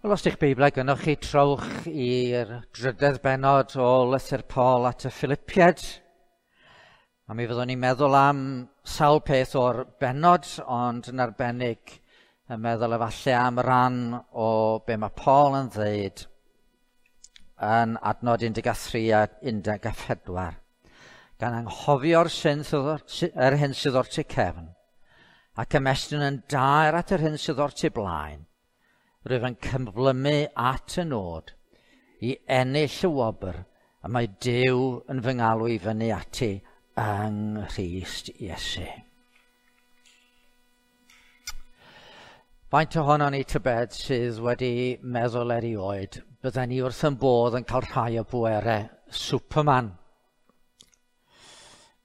Wel, os ydych Beiblau gynnwch chi, trowch i'r drydedd bennod o lythyr Paul at y Philippiaid. A mi fyddwn ni'n meddwl am sawl peth o'r bennod, ond yn arbennig yn meddwl efallai am ran o be mae Paul yn ddeud yn adnod 13 a 14. Gan anghofio'r yr hyn sydd o'r tu cefn, ac ymestyn yn daer at yr hyn sydd o'r tu blaen, rwyf yn cyflymu at y nod i ennill y wobr y mae Duw yn fy ngalw i fyny ati yng Nghrist Iesu. Faint ohonon ni tybed sydd wedi meddwl erioed bydden ni wrth yn bodd yn cael rhai o bwerau Superman.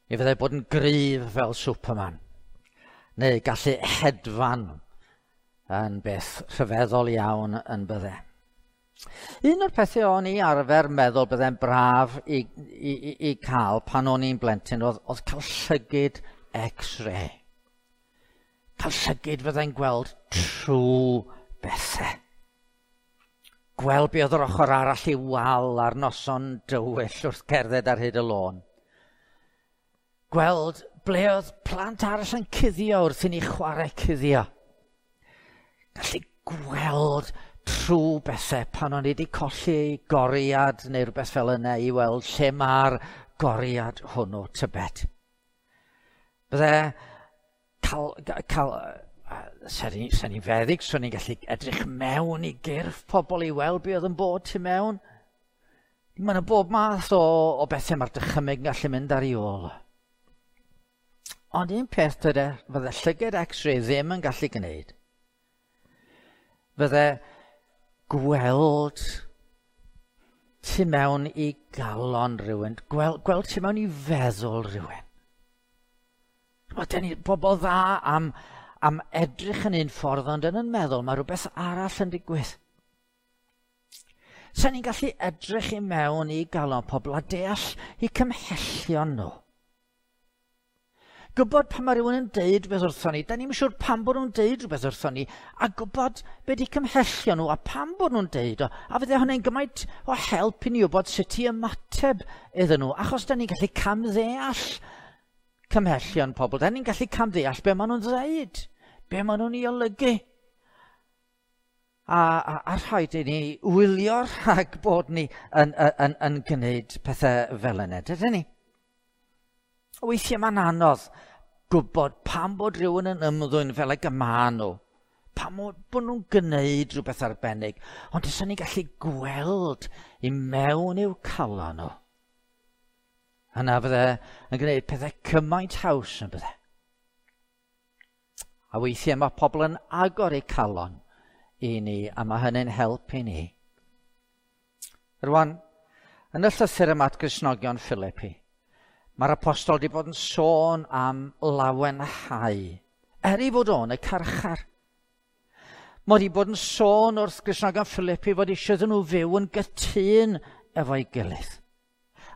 Mi fyddai bod yn gryf fel Superman, neu gallu hedfan yn beth rhyfeddol iawn yn bydde. Un o'r pethau o'n i arfer meddwl bydde'n braf i cael pan o'n i'n blentyn oedd cael llygid X-ray. Cael llygid fyddai'n gweld trwy bethau. Gweld be oedd yr ochr arall i wal ar noson dywyll wrth gerdded ar hyd y lôn. Gweld ble oedd plant arall yn cuddio wrth i ni chwarae cuddio. Gallu gweld trwy bethau pan o'n i wedi colli goriad neu rhywbeth fel yna i weld lle mae'r goriad hwnnw tybed. Bydde cael sen i'n feddyg, so ni'n gallu edrych mewn i gyrff pobl i weld be oedd yn bod tu mewn. Mae yna bob math o bethau mae'r dychymyg yn gallu mynd ar ei ôl. Ond un peth dyde, fydde llygad X-ray ddim yn gallu gwneud, fydde gweld tu mewn i galon rhywun, gweld tu mewn i feddwl rhywun. Mae ni bobl dda am edrych yn un ffordd, ond yn meddwl mae rhywbeth arall yn digwydd. Sa'n ni'n gallu edrych i mewn i galon pobl a deall eu cymhellion nhw. Gwybod pan mae rhywun yn deud rhywbeth wrthon ni, da ni'n siŵr pam bod nhw'n deud rhywbeth wrthon ni, a gwybod be di cymhellion nhw a pam bod nhw'n deud o, a fydde hwnna'n gymaint o help i ni wybod sut i ymateb iddyn nhw, achos da ni'n gallu camddeall cymhellion pobl, da ni'n gallu camddeall be maen nhw'n ddeud, be maen nhw'n ei olygu. A rhaid i ni wylio rhag bod ni yn gwneud pethau fel yna, dydyn ni? Weithiau mae'n anodd gwybod pam bod rhywun yn ymddwyn fel ag y maen nhw, pam bod nhw'n gwneud rhywbeth arbennig, ond os ni'n gallu gweld i mewn i'w calon nhw, yna fydde yn gwneud pethau cymaint haws yn bydde. A weithiau mae pobl yn agor eu calon i ni, a mae hynny'n help i ni. Rwan, yn y llythyr yma at Gristnogion Philippi, mae'r apostol wedi bod yn sôn am lawenhau, er ei fod o'n y carchar. Mae wedi bod yn sôn wrth Gristnogion Philippi fod eisiau iddyn nhw fyw yn gytûn efo'i gilydd,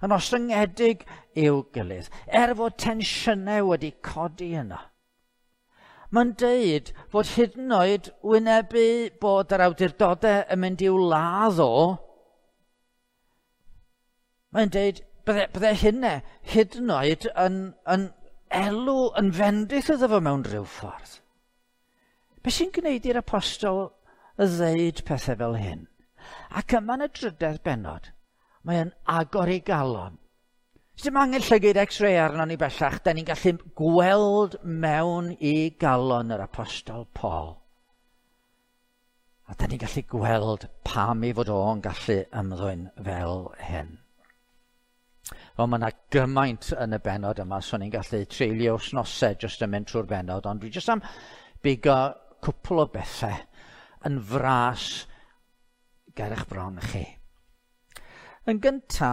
yn ostyngedig i'w gilydd, er fod tensiynau wedi codi yno. Mae'n deud fod hyd yn oed wynebu bod yr awdurdodau yn mynd i'w ladd o, mae'n deud bydde hynna hyd yn oed yn elw, yn fendith iddo fo mewn rhyw ffordd. Be sy'n gwneud i'r apostol ddeud pethau fel hyn? Ac yma yn y drydedd bennod, mae'n agor ei galon. Dim angen llygid X-ray arno ni bellach, da ni'n gallu gweld mewn i galon yr apostol Paul. A da ni'n gallu gweld pam ei fod o'n gallu ymddwyn fel hyn. Wel, mae yna gymaint yn y bennod yma, so ni'n gallu treulio wythnosau jyst yn mynd trwy'r bennod, ond dwi jyst am bigo cwpl o bethau yn fras ger eich bron chi. Yn gynta,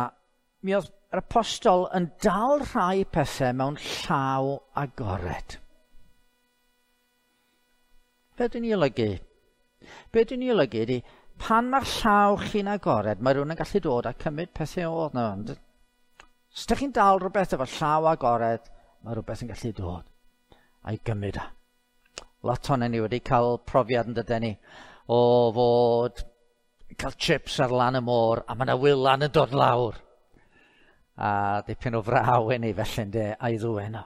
mi oedd yr apostol yn dal rhai pethau mewn llaw agored. Be dwi'n ei olygu? Be dwi'n ei olygu ydy, pan mae'r llaw chi'n agored, mae rhywun yn gallu dod a cymryd pethau o'r yna. Os ydych chi'n dal rhywbeth efo llaw agored, mae rhywbeth yn gallu dod a'i gymryd o. Lot ohonon ni wedi cael profiad yn dydyn ni o fod Yn cael chips ar lan y môr, a mae yna wylan yn dod lawr. A dipyn o fraw i ni felly, ynde, a'i ddwyn o.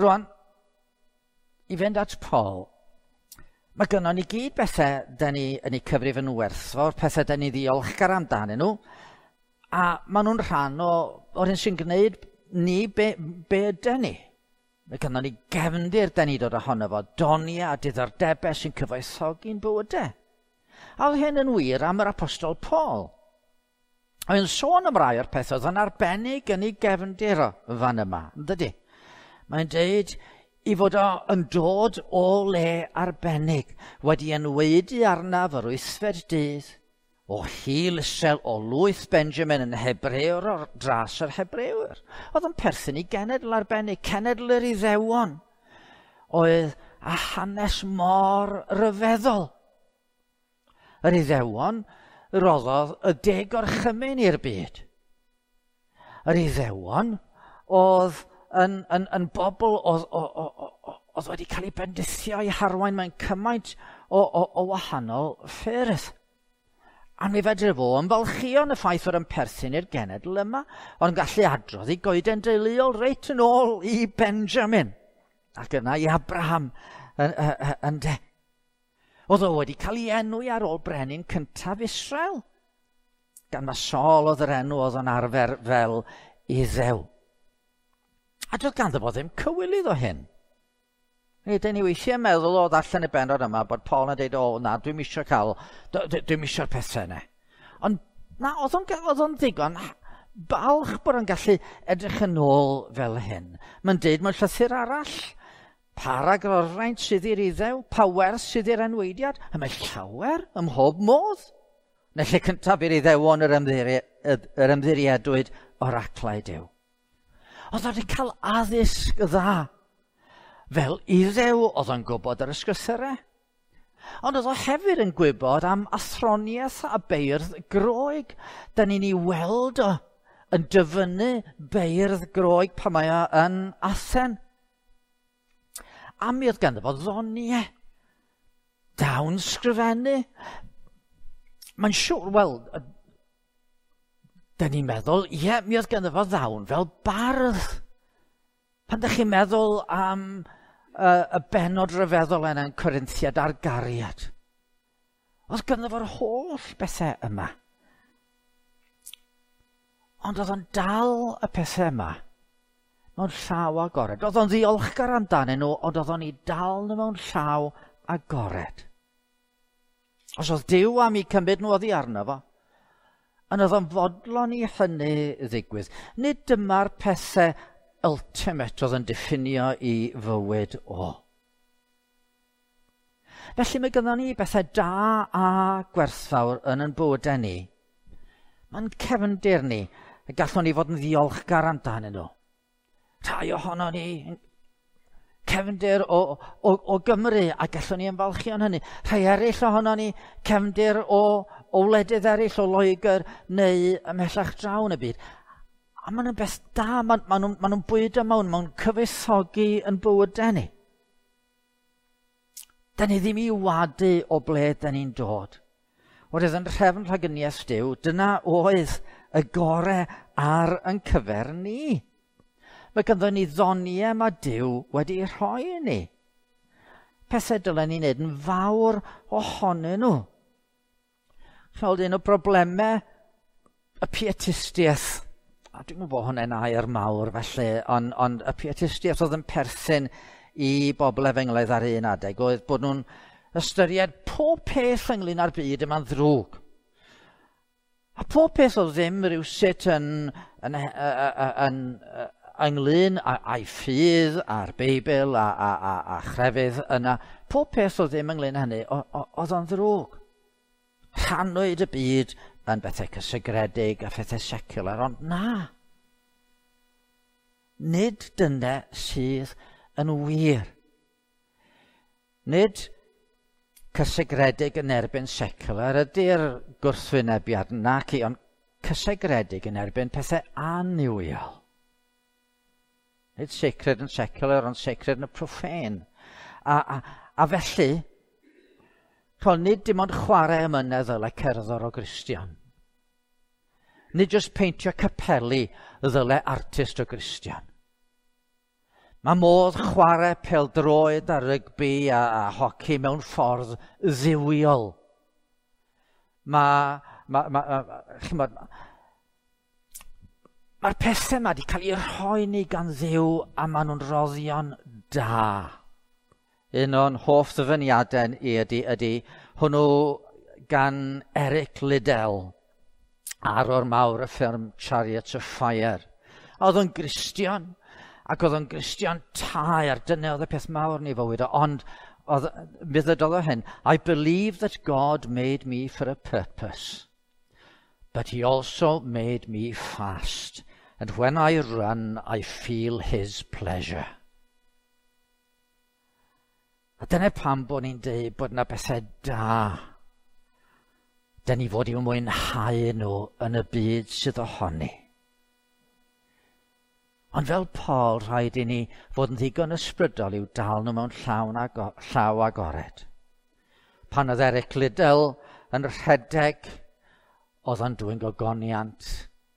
Rwan, i fynd at Paul, mae gynnon ni gyd bethau da ni yn eu cyfrif yn werthfawr, pethau da ni ddiolchgar amdanyn nhw, a maen nhw'n rhan o'r hyn sy'n gwneud ni be ydyn ni. Mae gynnon ni gefndir da ni dod ohono fo, doniau a diddordebau sy'n cyfoethogi'n bywydau. A oedd hyn yn wir am yr apostol Paul. Oedd yn sôn am rai o'r pethau oedd yn arbennig yn ei gefndir o fan yma, yn dydy? Mae'n deud i fod o yn dod o le arbennig, wedi enwaedu arnaf yr wythfed dydd, o hil Israel, o lwyth Benjamin yn Hebrewr o'r dras yr Hebrewyr. Oedd yn perthyn i genedl arbennig, cenedl yr Iddewon, oedd a hanes mor ryfeddol. Yr Iddewon roddodd y 10 gorchymyn i'r byd. Yr Iddewon oedd yn bobl oedd wedi cael eu bendithio i harwain mewn cymaint o wahanol ffyrdd. A mi fedre fo ymfalchïo yn y ffaith fod yn perthyn i'r genedl yma, ond gallu adrodd i goeden deuluol reit yn ôl i Benjamin, ac yna i Abraham ynde. Oedd o wedi cael ei enwi ar ôl brenin cyntaf Israel, gan ma Saul oedd yr enw oedd yn arfer fel Iddew. A doedd ganddo fo ddim cywilydd o hyn. Nid ni weithiau meddwl o ddarllen y bennod yma bod Paul yn dweud, o na, dwi'm isio cael, dwi'm isio'r pethau yna. Ond na, oedd o'n ddigon balch bod o'n gallu edrych yn ôl fel hyn. Mae'n deud mewn llythyr arall, pa ragorfraint sydd i'r Iddew, pa werth sydd i'r enweidiad, a mae llawer ym mhob modd. Yn y lle cyntaf i'r Iddewon yr ymddiriedwyd oraclau Duw. Oedd wedi cael addysg dda. Fel Iddew oedd o'n gwybod yr ysgrythurau. Ond oedd o hefyd yn gwybod am athroniaeth a beirdd Groeg. Da ni'n ei weld o yn dyfynnu beirdd Groeg pan mae o yn Athen. A mi oedd ganddo fo ddoniau, dawn sgrifennu. Mae'n siŵr, wel, da ni'n meddwl, ie, mi oedd ganddo fo ddawn fel bardd. Pan ydych chi'n meddwl am y bennod ryfeddol yna yn Corinthiad ar gariad, oedd ganddo fo'r holl bethau yma. Ond oedd o'n dal y pethau yma mewn llaw agored. Oedd o'n ddiolchgar amdanyn nhw, ond oedd o'n i dal nhw mewn llaw agored. Os oedd Duw am eu cymryd nhw oddi arno fo, ond oedd o'n fodlon i hynny ddigwydd. Nid dyma'r pethau ultimate oedd yn diffinio i fywyd o. Felly mae gynnon ni bethau da a gwerthfawr yn ein bywydau ni. Mae'n cefndir ni, y gallwn ni fod yn ddiolchgar amdanyn nhw. Rhai ohono ni cefndir o Gymru a gallwn ni ymfalchio yn hynny. Rhai eraill ohono ni cefndir o wledydd eraill, o Loegr neu ymhellach draw yn y byd. A maen nhw'n beth da, maen nhw'n bwydo mewn, maen nhw'n cyfoethogi yn bywydau ni. Da ni ddim i wadu o ble da ni'n dod. Oherwydd yn nhrefn rhagyniaeth Duw, dyna oedd y gore ar yn cyfer ni. Mae ganddo ni ddoniau mae Duw wedi rhoi i ni. Pethau dylen ni wneud yn fawr ohonyn nhw. Chweld un o broblemau y pietistiaeth, a dwi'n gwybod bod hwnna'n air mawr felly, ond y pietistiaeth oedd yn perthyn i bobl efengylaidd ar un adeg, oedd bod nhw'n ystyried pob peth ynglyn â'r byd yma'n ddrwg. A pob peth oedd ddim rhywsut ynglyn â'i ffydd a'r Beibl a chrefydd yna, pob peth oedd ddim ynglyn â hynny, oedd o'n ddrwg. Rhannwyd y byd yn bethau cysegredig a phethau secular, ond na. Nid dyna sydd yn wir. Nid cysegredig yn erbyn secular ydy'r gwrthwynebiad naci, ond cysegredig yn erbyn pethau annuwiol. Nid sacred yn secular, ond sacred yn y profane. A felly, Paul, nid dim ond chwarae emynedd ddyle cerddor o Gristion. Nid jyst peintio capeli ddyle artist o Gristion. Mae modd chwarae pêl-droed a rygbi a hoci mewn ffordd dduwiol. Mae'r pethau yma wedi cael eu rhoi ni gan Dduw a maen nhw'n roddion da. Un o'n hoff ddyfyniadau i ydy hwnnw gan Eric Liddell, arwr mawr y ffilm Chariots of Fire. A oedd o'n Gristion, ac oedd o'n Gristion taer, dyna oedd y peth mawr yn ei fywyd o, ond mi ddydodd o hyn, I believe that God made me for a purpose, but he also made me fast, and when I run, I feel his pleasure. A dyna pam bod ni'n dweud bod yna bethau da. Dyna ni fod i'w mwynhau nhw yn y byd sydd ohoni. Ond fel Paul, rhaid i ni fod yn ddigon ysbrydol i'w dal nhw mewn llaw agored. Pan oedd Eric Liddell yn rhedeg, oedd o'n dwyn gogoniant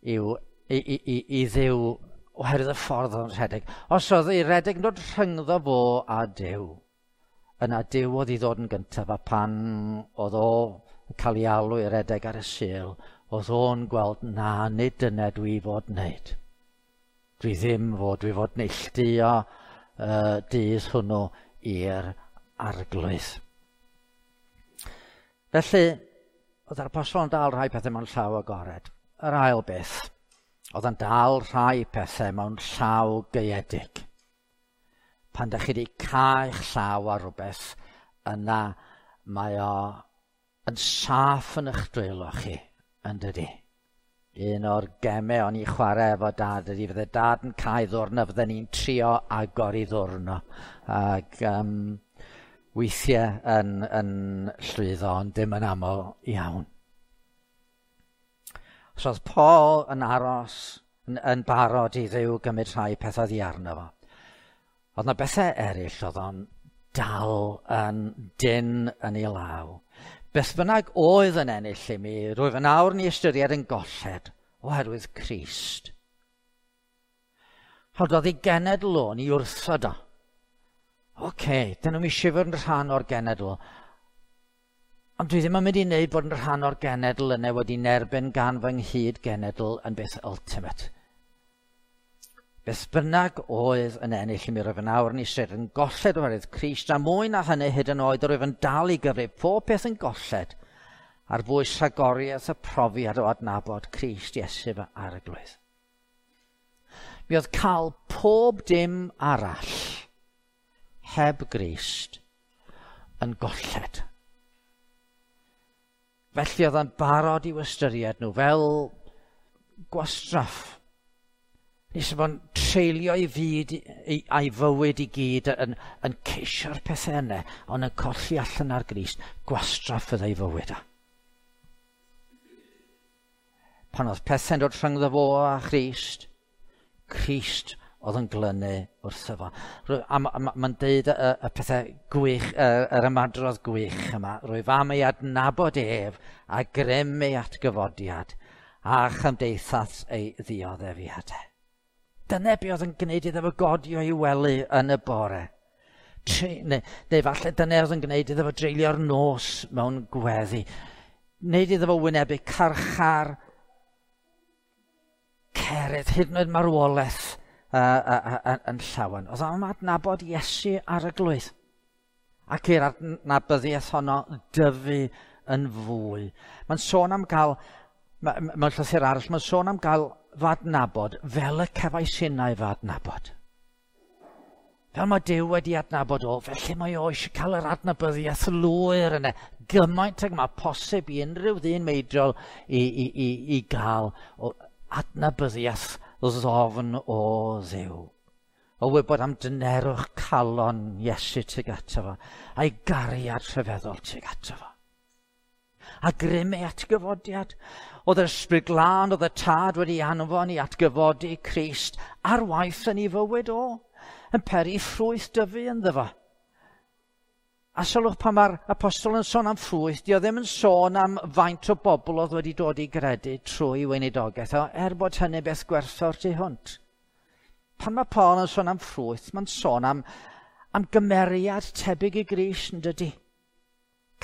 i Dduw oherwydd y ffordd oedd o'n rhedeg. Os oedd ei redeg yn dod rhyngddo fo a Duw, yna Duw oedd i ddod yn gyntaf, a pan oedd o yn cael ei alw i redeg ar y Sul, oedd o'n gweld, na, nid dyna dwi fod wneud. Dwi ddim fod, dwi fod neilltuo dydd hwnnw i'r Arglwydd. Felly, oedd yr apostol yn dal rhai pethau mewn llaw agored. Yr ail beth, oedd yn dal rhai pethau mewn llaw gaeedig. Pan da chi wedi cau'ch llaw ar rhywbeth, yna mae o yn saff yn eich dwylo chi, yn dydi? Un o'r gemau o'n i chwarae efo dad ydy, fydde dad yn cau ddwrn a fydden ni'n trio agor i ddwrn o. Ac weithiau yn llwyddo, ond dim yn aml iawn. So oedd Paul yn aros, yn barod i Dduw gymryd rhai pethau oddi arno fo. Oedd yna bethau eraill oedd o'n dal yn dyn yn ei law. Beth bynnag oedd yn ennill i mi, rwyf yn awr ni ystyried yn golled oherwydd Crist. Rhoddodd ei genedl o'n i wrthod o. Oce, dyn nhw'n eisiau fod yn rhan o'r genedl. Ond dwi ddim yn mynd i wneud bod yn rhan o'r genedl yna wedi nerbyn gan fy nghyd genedl yn beth ultimate. Beth bynnag oedd yn ennill i mi, rwyf yn awr yn eistedd yn golled oherwydd Crist, a mwy na hynny hyd yn oed rwyf yn dal i gyfrif pob peth yn golled ar bwys rhagoriaeth y profiad o adnabod Crist Iesu fy Arglwydd. Mi oedd cael pob dim arall heb Grist yn golled. Felly oedd yn barod i'w ystyried nhw fel gwastraff. Nes bod yn treulio ei fyd a'i fywyd i gyd yn ceisio'r pethau yna, ond yn colli allan ar Grist, gwastraff fyddai fywyd o. Pan oedd pethau'n dod rhyngddo fo a Christ, Crist oedd yn glynu wrtho fo. A mae'n deud y pethau gwych, yr ymadrodd gwych yma, rwyf am ei adnabod ef a grym ei atgyfodiad a chymdeithas ei ddioddefiadau. Dyna be oedd yn gwneud iddo fo godio i wely yn y bore. Neu falle dyna oedd yn gwneud iddo fo dreulio'r nos mewn gweddi. Wneud iddo fo wynebu carchar, cerydd, hyd yn oed marwolaeth yn llawen. Oedd am adnabod Iesu ar y glwydd. Ac i'r adnabyddiaeth honno dyfu yn fwy. Mae'n sôn am gael, mewn llythyr arall, mae'n sôn am gael fy adnabod fel y cefais innau fy adnabod. Fel mae Duw wedi adnabod o, felly mae o eisiau cael yr adnabyddiaeth lwyr yna. Gymaint ag mae posib i unrhyw ddyn meidrol i gael o adnabyddiaeth ddofn o Dduw. O wybod am dynerwch calon Iesu tuag ato fo, a'i gariad rhyfeddol tuag ato fo. A grym ei atgyfodiad. Oedd yr Ysbryd Glân, oedd y Tad wedi anfon i atgyfodi Crist ar waith yn ei fywyd o, yn peri ffrwyth dyfu ynddo fo. A sylwch pan mae'r apostol yn sôn am ffrwyth, di o ddim yn sôn am faint o bobl oedd wedi dod i gredu trwy weinidogaeth, o, er bod hynny beth gwerthfawr tu hwnt. Pan mae Paul yn sôn am ffrwyth, mae'n sôn am gymeriad tebyg i Grist, yn dydy?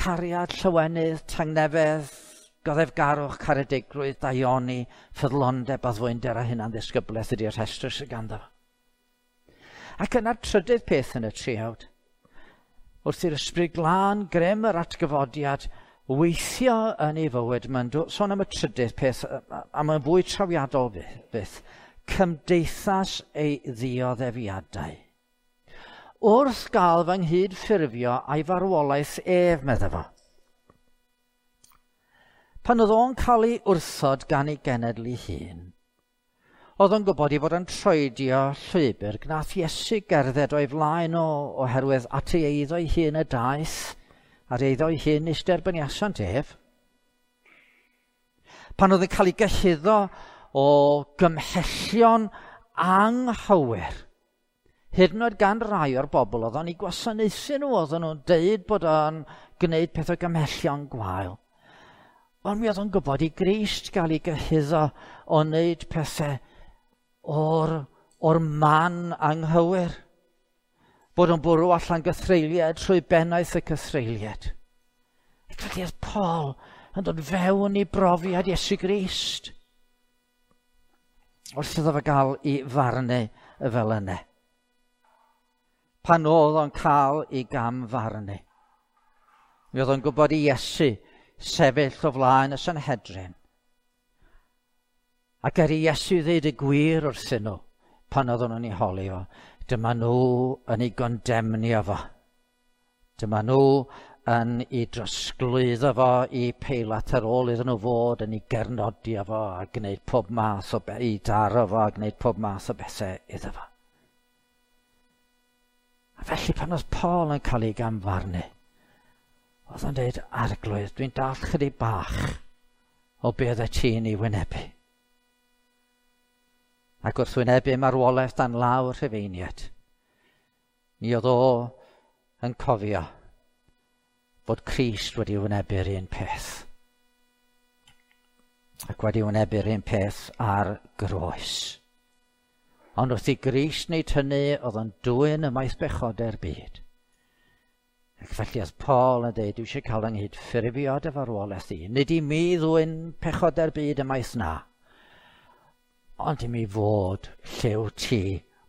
Cariad, llywenydd, tangnefedd, goddefgarwch, caredigrwydd, daioni, ffyddlondeb, addfwynder a hunan ddisgyblaeth ydy'r rhestr sydd ganddo. Ac yna'r trydydd peth yn y triawd, wrth i'r Ysbryd Glân grym yr atgyfodiad weithio yn ei fywyd, mae'n sôn am y trydydd peth, a mae'n fwy trawiadol fyth, cymdeithas ei ddioddefiadau. Wrth gael fy nghyd-ffurfio a'i farwolaeth ef, medda fo. Pan oedd o'n cael ei wrthod gan ei genedl ei hun, oedd o'n gwybod ei fod yn troedio llwybr gnath Iesu gerdded o'i flaen o oherwydd at ei eiddo ei hun y daeth, a'r eiddo ei hun nes derbyniasant ef. Pan oedd yn cael ei gyhuddo o gymhellion anghywir, hyd yn oed gan rai o'r bobl oedd o'n ei gwasanaethu nhw, oedden nhw'n deud bod o'n gwneud peth o gymhellion gwael. Ond mi oedd o'n gwybod i Grist gael ei gyhuddo o wneud pethau o'r man anghywir. Bod o'n bwrw allan gythreuliad trwy bennaeth y cythreuliad. Ac felly oedd Paul yn dod fewn i brofiad Iesu Grist. Wrth iddo fo gael ei farnu fel yna. Pan oedd o'n cael ei gam farnu, mi oedd o'n gwybod i Iesu sefyll o flaen y Sanhedrin. Ac er i Iesu ddeud y gwir wrthyn nhw, pan oedden nhw'n ei holi o, dyma nhw yn ei gondemnio fo. Dyma nhw yn ei drosglwyddo fo i Peilat ar ôl iddyn nhw fod yn ei gernodio fo a gwneud pob math o i daro fo a gwneud pob math o bethau iddo fo. A felly pan oedd Paul yn cael ei gamfarnu, oedd o'n dweud, Arglwydd, dwi'n dall chydig bach o be oedd ti'n ei wynebu. Ac wrth wynebu marwolaeth dan lawr Rhufeiniaid, mi oedd o yn cofio fod Crist wedi wynebu'r un peth. Ac wedi wynebu'r un peth ar groes. Ond wrth i Grist wneud hynny, oedd o'n dwyn ymaith bechodau'r byd. Ac felly oedd Paul yn dweud, dwi eisiau cael yng nghyd-ffurfio dy farwolaeth i. Nid i mi ddwyn pechodau'r byd ymaith na, ond i mi fod lle wyt ti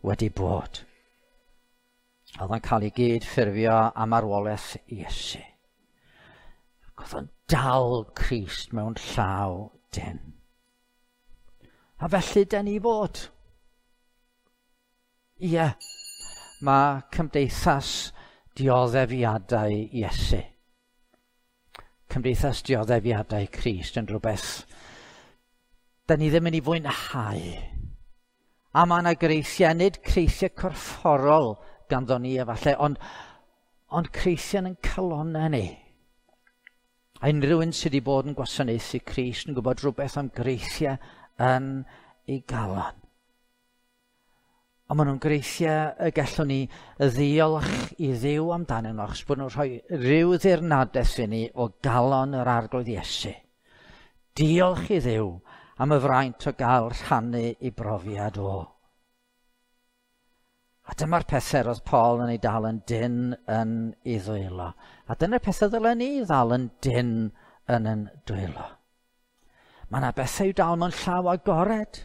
wedi bod. Oedd o'n cael ei gyd-ffurfio am marwolaeth Iesu. Ac oedd o'n dal Crist mewn llaw dyn. A felly dyn ni fod. Ie, mae cymdeithas dioddefiadau Iesu, cymdeithas dioddefiadau Crist yn rhywbeth da ni ddim yn ei fwynhau. A mae yna greithiau, nid creithiau corfforol ganddo ni efallai, ond creithiau yn calonnau ni. A unrhyw un sydd wedi bod yn gwasanaethu Crist yn gwybod rhywbeth am greithiau yn ei galon. Ond maen nhw'n greithiau y gallwn ni ddiolch i Dduw amdanyn nhw, achos bod nhw'n rhoi rhyw ddirnadaeth i ni o galon yr Arglwydd Iesu. Diolch i Dduw am y fraint o gael rhannu ei brofiad o. A dyma'r pethau roedd Paul yn ei dal yn dyn yn ei ddwylo. A dyna'r pethau ddylen ni ddal yn dyn yn ein dwylo. Mae yna bethau i'w dal mewn llaw agored.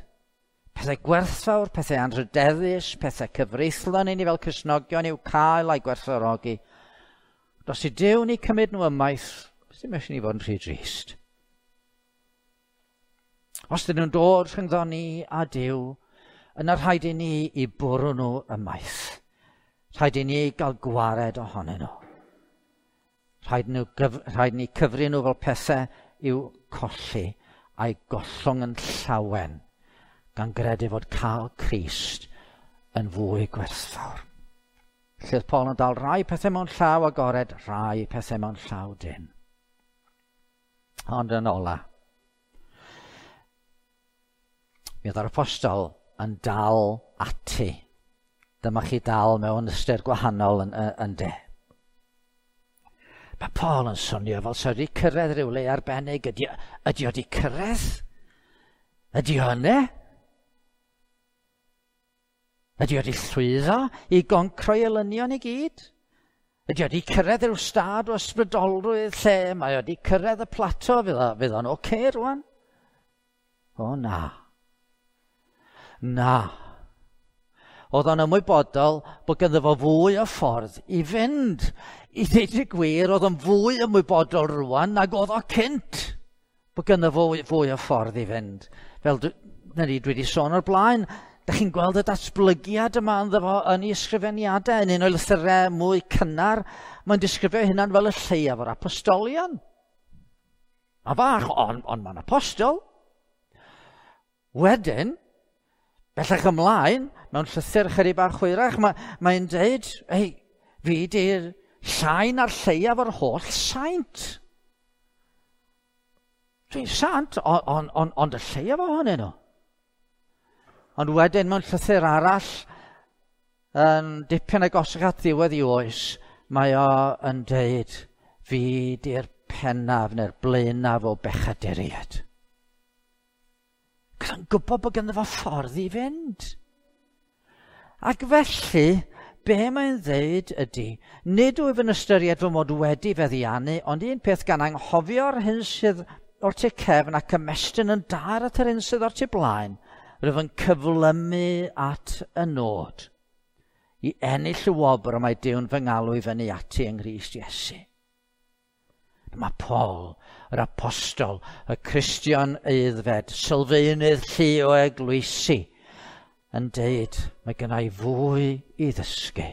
Pethau gwerthfawr, pethau anrhydeddus, pethau cyfreithlon i ni fel Cristnogion i'w cael a'i gwerthfawrogi. Os i Duw ni cymryd nhw ymaith, ddim eisiau ni fod yn rhy drist. Os dyn nhw'n dod rhyngddo ni a Duw, yna rhaid i ni i bwrw nhw ymaith. Rhaid i ni gael gwared ohonyn nhw. Rhaid ni cyfri nhw fel pethau i'w colli a'i gollwng yn llawen, gan gredu fod cael Crist yn fwy gwerthfawr. Felly oedd Paul yn dal rai pethau mewn llaw agored, rai pethau mewn llaw dyn. Ond yn ola, mi oedd yr apostol yn dal ati. Dyma chi dal mewn ystyr gwahanol yn de. Paul yn swnio fel sa wedi cyrraedd rhywle arbennig. Ydy, ydy o wedi cyrraedd? Ydy o yna? Ydy o wedi llwyddo i goncroi elynion i gyd? Ydy o wedi cyrraedd rhyw stad o ysbrydolrwydd lle mae o wedi cyrraedd y plato, fydd o'n oce okay rwan? O na. Na. Oedd o'n ymwybodol bod ganddo fo fwy o ffordd i fynd. I ddeud y gwir, oedd o'n fwy ymwybodol rwan nag oedd o cynt. Bod ganddo fo fwy o ffordd i fynd. Fel dwi, na ni, dwi wedi sôn o'r blaen, da chi'n gweld y datblygiad yma ynddo fo yn ei ysgrifeniadau, yn un o'i lythyrau mwy cynnar, mae'n disgrifio hynna'n fel y lleiaf o'r apostolion. A fach, ond on mae'n apostol. Wedyn, bellach ymlaen, mewn llythyr chydig bach hwyrach, mae'n mae dweud, ei, fi di'r llai na'r lleiaf o'r holl saint. Dwi'n sant, ond on, on, on y lleiaf ohonyn nhw. Ond wedyn mewn llythyr arall, yn dipyn agosach at ddiwedd i oes, mae o yn deud, fi di'r pennaf neu'r blaenaf o bechaduriaid. Cos o'n gwybod bod ganddo fo ffordd i fynd. Ac felly, be mae'n ddeud ydy, nid wyf yn ystyried fy mod wedi feddiannu, ond un peth gan anghofio'r hyn sydd o'r tu cefn ac ymestyn yn dair at yr hyn sydd o'r tu blaen, rwyf yn cyflymu at y nod i ennill y wobr y mae Duw'n fy ngalw i fyny ati yng Nghrist Iesu. Mae Paul, yr apostol, y Cristion aeddfed, sylfaenydd llu o eglwysi, yn deud, mae gen i fwy i ddysgu.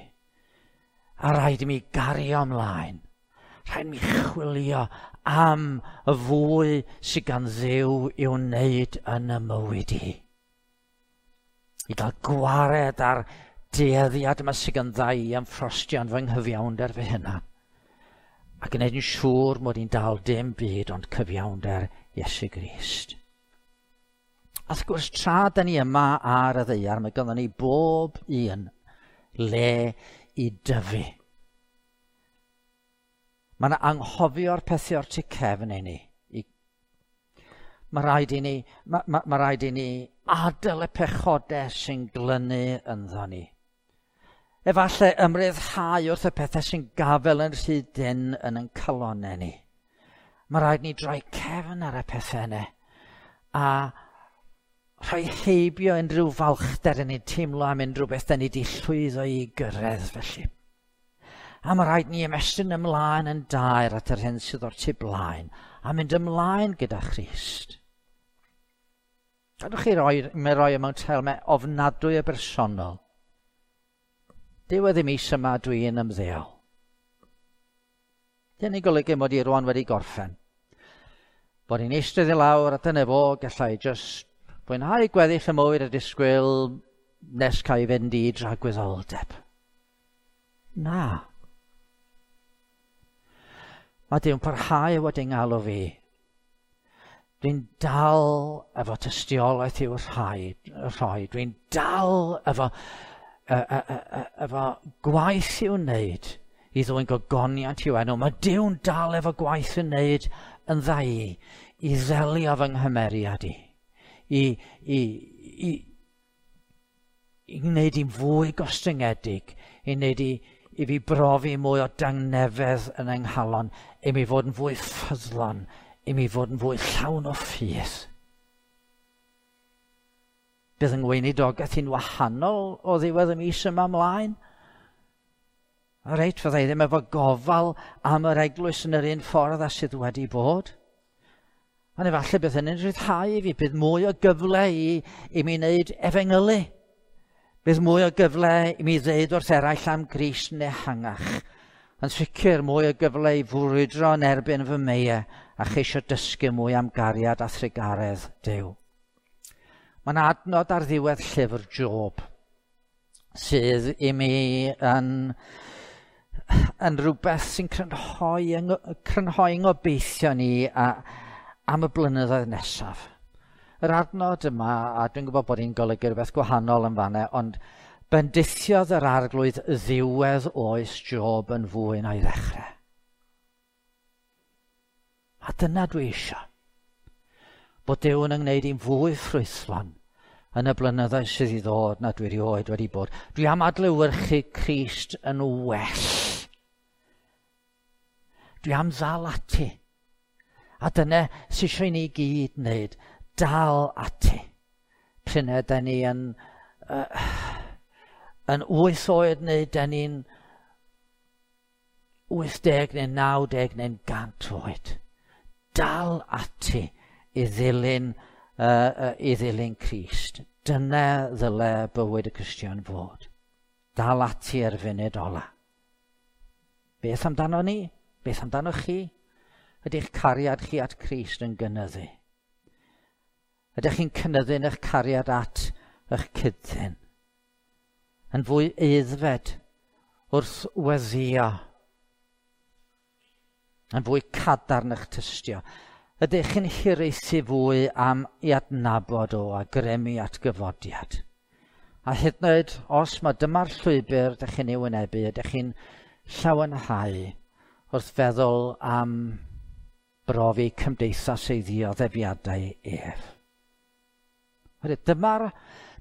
A rhaid i mi gario ymlaen. Rhaid i mi chwilio am y fwy sydd gan Dduw i'w wneud yn y mywyd i. I gael gwared ar dueddiad yma sydd gan ddau i ymffrostio yn fy nghyfiawnder fy hunan. A gwneud yn siŵr mod i'n dal dim byd ond cyfiawnder Iesu Grist. A wrth gwrs, tra da ni yma ar y ddaear, mae ganddo ni bob un le i dyfu. Mae yna anghofio'r pethau o'r tu cefn i ni. Mae rhaid i ni, mae, mae, mae rhaid i ni adael y pechodau sy'n glynu ynddo ni. Efallai ymryddhau wrth y pethau sy'n gafel yn rhy dynn yn ein calonnau ni. Mae rhaid ni droi cefn ar y pethau yna a rhoi heibio unrhyw falchder yn ni'n teimlo am unrhyw beth da ni wedi llwyddo i gyrraedd felly. A mae rhaid ni ymestyn ymlaen yn dair at yr hyn sydd o'r tu blaen a mynd ymlaen gyda Christ. Gadwch chi roi, mi roi mewn termau ofnadwy o bersonol. Diwedd y mis yma dwi'n ymddeol. Dyn ni'n golygu mod i rwan wedi gorffen. Bod i'n eistedd i lawr a dyna fo, gallai just fwynhau gweddill y mywyd a disgwyl nes cael ei fynd i dragwyddoldeb. Na. Mae Duw'n parhau wedi ngalw fi. Dwi'n dal efo tystiolaeth i'w rhoi. Dwi'n dal efo, efo gwaith i'w wneud i ddwyn gogoniant i'w enw. Mae Duw'n dal efo gwaith i'w wneud yn dda i ddelio fy nghymeriad i. I, i, i, i wneud i'n fwy gostyngedig, i wneud i, i fi brofi mwy o dangnefedd yn yng nghalon, i mi fod yn fwy ffyddlon, i mi fod yn fwy llawn o ffydd. Bydd yng ngweinidogaeth i'n wahanol o ddiwedd y mis yma ymlaen. A reit, fydda i ddim efo gofal am yr eglwys yn yr un ffordd a sydd wedi bod. Ond efallai bydd hynny'n rhyddhau i fi, bydd mwy o gyfle i, i mi wneud efengylu. Bydd mwy o gyfle i mi ddeud wrth eraill am Grist yn ehangach. Yn sicr mwy o gyfle i fwrwydro yn erbyn fy meiau a cheisio dysgu mwy am gariad a thrugaredd Duw. Mae'n adnod ar ddiwedd llyfr Job sydd i mi yn, yn rhywbeth sy'n crynhoi, crynhoi ngobeithio ni a, am y blynyddoedd nesaf. Yr adnod yma, a dwi'n gwybod bod hi'n golygu rhywbeth gwahanol yn fanna, ond bendithiodd yr arglwydd ddiwedd oes Job yn fwy na'i ddechrau. A dyna dwi eisiau. Bod Duw yn yngwneud i'n fwy ffrwythlon yn y blynyddoedd sydd i ddod na dwi erioed wedi bod. Dwi am adlewyrchu Crist yn well. Dwi am ddal ati. A dyna sydd eisiau i ni gyd wneud. Dal ati. Pryn da ni yn 8 oed neu da ni'n 80 neu 90 neu'n 100 oed. Dal ati i ddilyn Crist. Dyna ddyle bywyd y Cristion fod. Dal ati ar funud ola. Beth amdano ni? Beth amdano chi? Ydy'ch cariad chi at Crist yn gynyddu? Ydych chi'n cynyddu yn eich cariad at eich cyd-ddyn? Yn fwy aeddfed wrth weddïo? Yn fwy cadarn eich tystio? Ydych chi'n hiraethu fwy am i adnabod o a grymu at gyfodiad? A hyd yn oed os mae dyma'r llwybr ydych chi'n ei wynebu, ydych chi'n llawenhau wrth feddwl am brofi cymdeithas ei ddioddefiadau ef.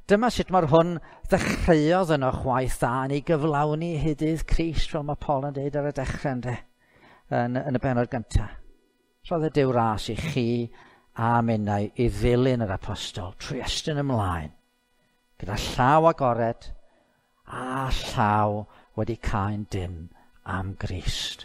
Dyma sut mae'r hwn ddechreuodd yn o'ch waith dda yn ei gyflawni hyd dydd Crist, fel mae Paul yn dweud ar y dechrau ynde, yn y bennod gyntaf. Rhoddodd Duw ras i chi a minnau i ddilyn yr apostol trwy estyn ymlaen, gyda llaw agored a llaw wedi cau'n dynn am Grist.